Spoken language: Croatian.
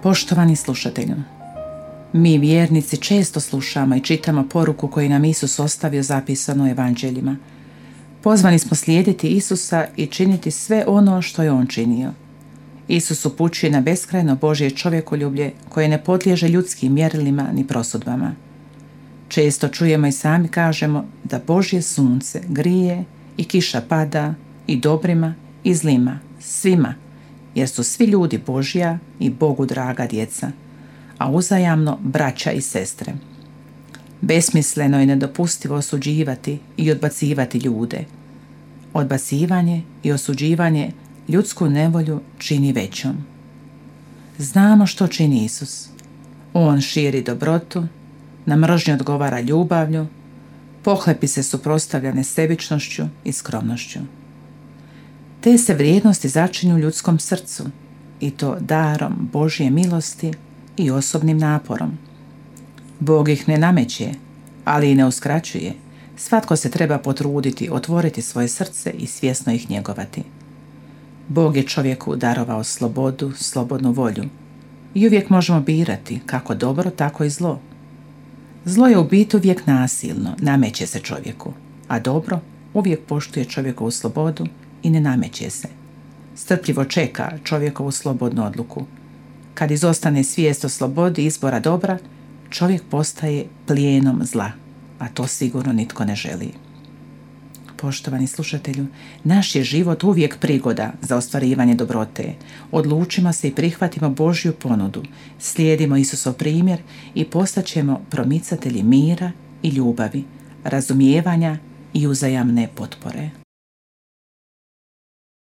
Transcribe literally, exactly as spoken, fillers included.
Poštovani slušatelju, mi vjernici često slušamo i čitamo poruku koju nam Isus ostavio zapisano u evanđeljima. Pozvani smo slijediti Isusa i činiti sve ono što je On činio. Isus upućuje na beskrajno Božje čovjekoljublje koje ne podliježe ljudskim mjerilima ni prosudbama. Često čujemo i sami kažemo da Božje sunce grije i kiša pada i dobrima i zlima, svima, jer su svi ljudi Božja i Bogu draga djeca, a uzajamno braća i sestre. Besmisleno i nedopustivo osuđivati i odbacivati ljude. Odbacivanje i osuđivanje ljudsku nevolju čini većom. Znamo što čini Isus. On širi dobrotu, na mržnju odgovara ljubavlju, pohlepi se suprotstavlja nesebičnošću i skromnošću. Te se vrijednosti začinju u ljudskom srcu, i to darom Božje milosti i osobnim naporom. Bog ih ne nameće, ali i ne uskraćuje. Svatko se treba potruditi, otvoriti svoje srce i svjesno ih njegovati. Bog je čovjeku darovao slobodu, slobodnu volju i uvijek možemo birati kako dobro, tako i zlo. Zlo je u biti uvijek nasilno, nameće se čovjeku, a dobro uvijek poštuje čovjekovu slobodu i ne nameće se. Strpljivo čeka čovjekovu slobodnu odluku. Kad izostane svijest o slobodi izbora dobra, čovjek postaje plijenom zla, a to sigurno nitko ne želi. Poštovani slušatelju, naš je život uvijek prigoda za ostvarivanje dobrote. Odlučimo se i prihvatimo Božju ponudu, slijedimo Isusov primjer i postaćemo promicatelji mira i ljubavi, razumijevanja i uzajamne potpore.